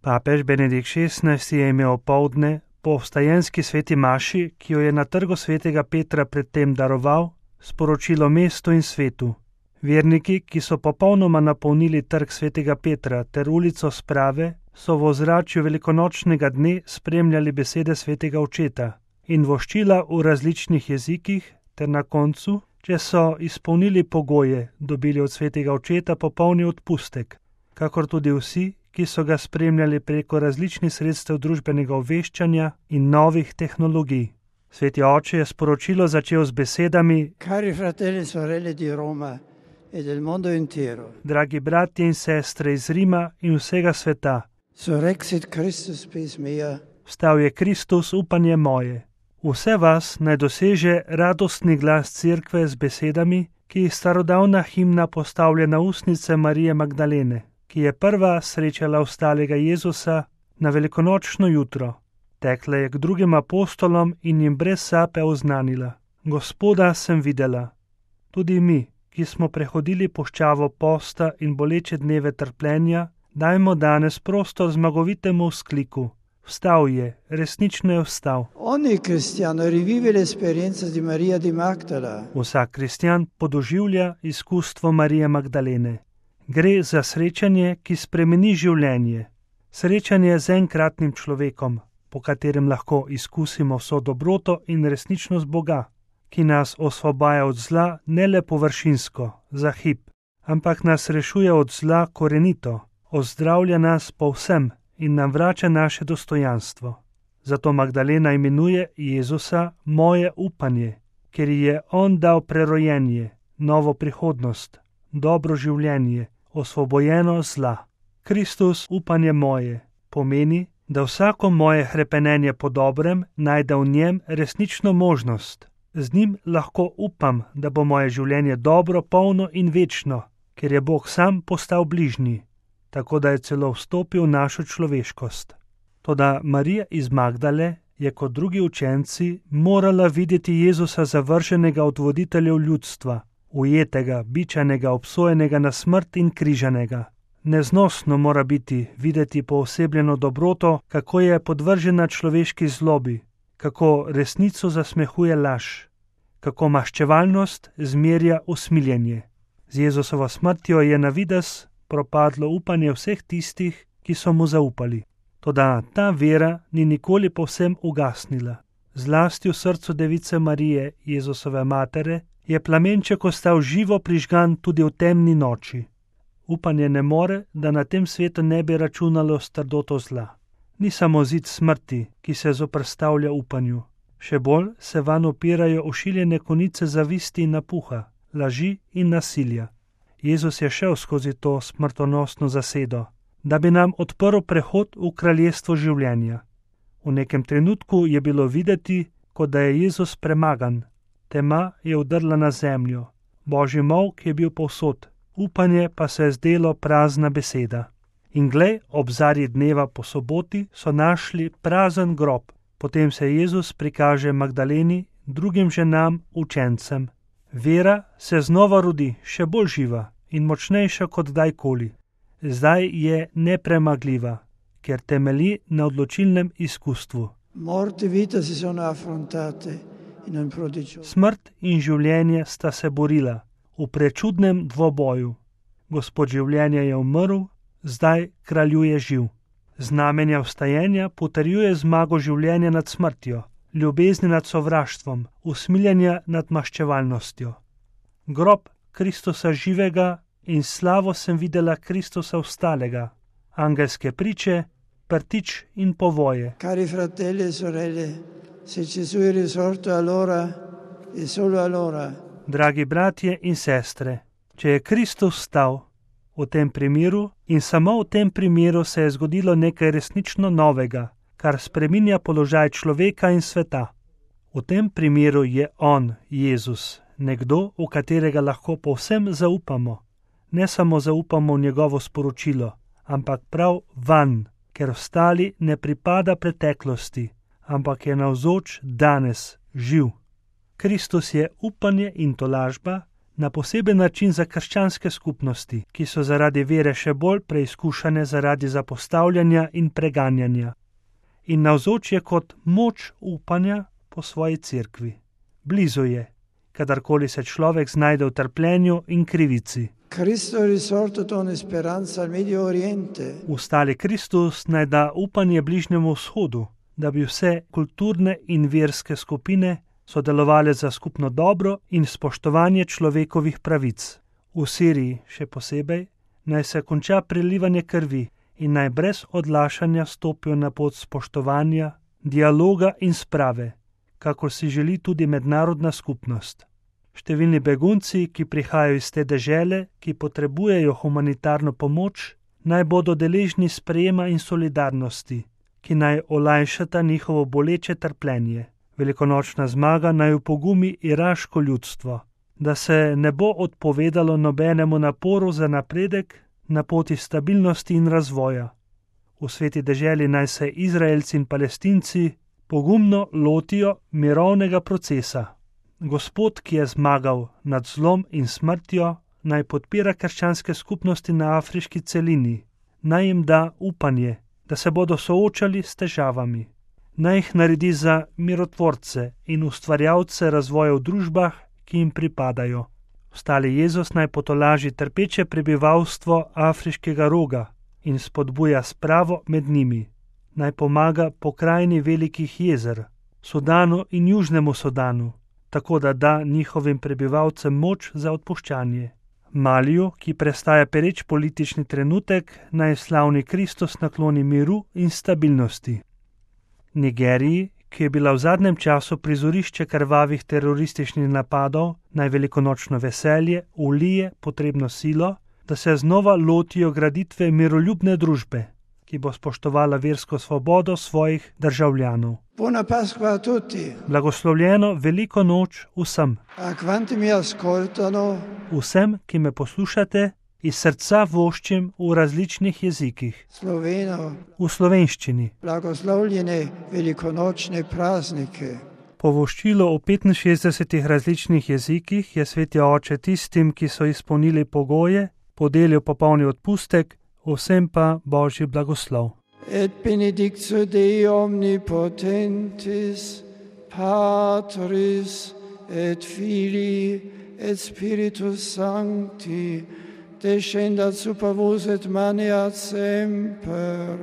Papež Benedikt XVI je imel opoldne po vstajenski sveti maši, ki jo je na trgu svetega Petra predtem daroval, sporočilo mestu in svetu. Verniki, ki so popolnoma napolnili trg svetega Petra ter ulico Sprave, so v ozračju velikonočnega dne spremljali besede svetega očeta in voščila v različnih jezikih ter na koncu, če so izpolnili pogoje, dobili od svetega očeta popolni odpustek, kakor tudi vsi, ki so ga spremljali preko različnih sredstev družbenega obveščanja in novih tehnologij. Sveti oče je sporočilo začel z besedami: Cari fratelli e sorelle di Roma e del mondo intero. Dragi bratje in sestre iz Rima in vsega sveta. Surrexit Christus spes mea. Vstal je Kristus, upanje moje. Vse vas naj doseže radostni glas Cerkve z besedami, ki jih starodavna himna postavlja na ustnice Marije Magdalene, ki je prva srečala ostalega Jezusa na velikonočno jutro. Tekla je k drugim apostolom in jim brez sape oznanila: Gospoda sem videla. Tudi mi, ki smo prehodili puščavo posta in boleče dneve trpljenja, dajmo danes prostor zmagovitemu vzkliku: Vstal je, resnično je vstal. Ogni cristiano rivive l'esperienza di Maria di Magdala. Vsak kristjan podoživlja izkustvo Marije Magdalene. Gre za srečanje, ki spremeni življenje. Srečanje z enkratnim človekom, po katerem lahko izkusimo vso dobroto in resničnost Boga, ki nas osvobaja od zla ne le površinsko, za hip, ampak nas rešuje od zla korenito, ozdravlja nas povsem in nam vrača naše dostojanstvo. Zato Magdalena imenuje Jezusa moje upanje, ker ji je on dal prerojenje, novo prihodnost, dobro življenje, osvobojeno zla. Kristus, upanje moje, pomeni, da vsako moje hrepenenje po dobrem najde v njem resnično možnost. Z njim lahko upam, da bo moje življenje dobro, polno in večno, ker je Bog sam postal bližnji, tako da je celo vstopil v našo človeškost. Toda Marija iz Magdale je kot drugi učenci morala videti Jezusa zavrženega od voditeljev ljudstva, ujetega, bičanega, obsojenega na smrt in križanega. Neznosno mora biti videti poosebljeno dobroto, kako je podvržena človeški zlobi, kako resnico zasmehuje laž, kako maščevalnost zmerja usmiljenje. Z Jezusovo smrtjo je na videz propadlo upanje vseh tistih, ki so mu zaupali. Toda ta vera ni nikoli povsem ugasnila. Zlasti v srcu device Marije, Jezusove matere, je plamenček ostal živo prižgan tudi v temni noči. Upanje ne more, da na tem svetu ne bi računalo s trdoto zla. Ni samo zid smrti, ki se zoperstavlja upanju. Še bolj se vanj opirajo ošiljene konice zavisti in napuha, laži in nasilja. Jezus je šel skozi to smrtonosno zasedo, da bi nam odprl prehod v kraljestvo življenja. V nekem trenutku je bilo videti, kot da je Jezus premagan. Tema je vdrla na zemljo. Božji molk je bil povsod, upanje pa se je zdelo prazna beseda. In glej, ob zarji dneva po soboti so našli prazen grob. Potem se Jezus prikaže Magdaleni, drugim ženam, učencem. Vera se znova rodi, še bolj živa in močnejša kot kdajkoli. Zdaj je nepremagljiva, ker temelji na odločilnem izkustvu. Smrt in življenje sta se borila v prečudnem dvoboju. Gospod življenja je umrl, zdaj kraljuje živ. Znamenja vstajenja potrjuje zmago življenja nad smrtjo, ljubezni nad sovraštvom, usmiljenja nad maščevalnostjo. Grob Kristusa živega in slavo sem videla Kristusa vstalega, angelske priče, prtič in povoje. Cari fratelli e sorelle, se Gesù è risorto allora e solo allora. Dragi bratje in sestre, če je Kristus vstal, v tem primeru in samo v tem primeru se je zgodilo nekaj resnično novega, kar spreminja položaj človeka in sveta. V tem primeru je on, Jezus, nekdo, v katerega lahko povsem zaupamo. Ne samo zaupamo v njegovo sporočilo, ampak prav vanj, ker ostali ne pripada preteklosti, ampak je navzoč danes, živ. Kristus je upanje in tolažba, na poseben način za krščanske skupnosti, ki so zaradi vere še bolj preizkušane zaradi zapostavljanja in preganjanja. In navzoč je kot moč upanja po svoji cerkvi. Blizu je, kadarkoli se človek znajde v trpljenju in krivici. Cristo è risorto con speranza al Medio Oriente. Ustali Kristus naj da upanje Bližnjemu vzhodu, da bi vse kulturne in verske skupine sodelovali za skupno dobro in spoštovanje človekovih pravic. V Siriji še posebej naj se konča prelivanje krvi in naj brez odlašanja stopijo na pot spoštovanja, dialoga in sprave, kakor si želi tudi mednarodna skupnost. Številni begunci, ki prihajajo iz te dežele, ki potrebujejo humanitarno pomoč, naj bodo deležni sprejema in solidarnosti, ki naj olajšata njihovo boleče trpljenje. Velikonočna zmaga naj upogumi iraško ljudstvo, da se ne bo odpovedalo nobenemu naporu za napredek na poti stabilnosti in razvoja. V sveti deželi naj se Izraelci in Palestinci pogumno lotijo mirovnega procesa. Gospod, ki je zmagal nad zlom in smrtjo, naj podpira krščanske skupnosti na afriški celini, naj jim da upanje, da se bodo soočali s težavami. Naj jih naredi za mirotvorce in ustvarjalce razvoja v družbah, ki jim pripadajo. Ostali Jezus naj potolaži trpeče prebivalstvo afriškega roga in spodbuja spravo med njimi. Naj pomaga pokrajini velikih jezer, Sudanu in Južnemu Sudanu, tako da da njihovim prebivalcem moč za odpuščanje. Maliju, ki prestaja pereč politični trenutek, naj slavni Kristus nakloni miru in stabilnosti. Nigeriji, ki je bila v zadnjem času prizorišče krvavih terorističnih napadov, naj velikonočno veselje ulije potrebno silo, da se znova lotijo graditve miroljubne družbe, ki bo spoštovala versko svobodo svojih državljanov. Buona Pasqua a tutti. Blagoslovljeno veliko noč vsem. A quanti mi ascoltano, Vsem, ki me poslušate, iz srca voščim v različnih jezikih. sloveno, V slovenščini. blagoslovljene velikonočne praznike. Povoščilo v 65 različnih jezikih je sveti oče tistim, ki so izpolnili pogoje, podelil popolni odpustek, vsem pa božji blagoslov. Et benedictio Dei omnipotentis, Patris et Filii et Spiritus Sancti, descendat super vos et maneat semper.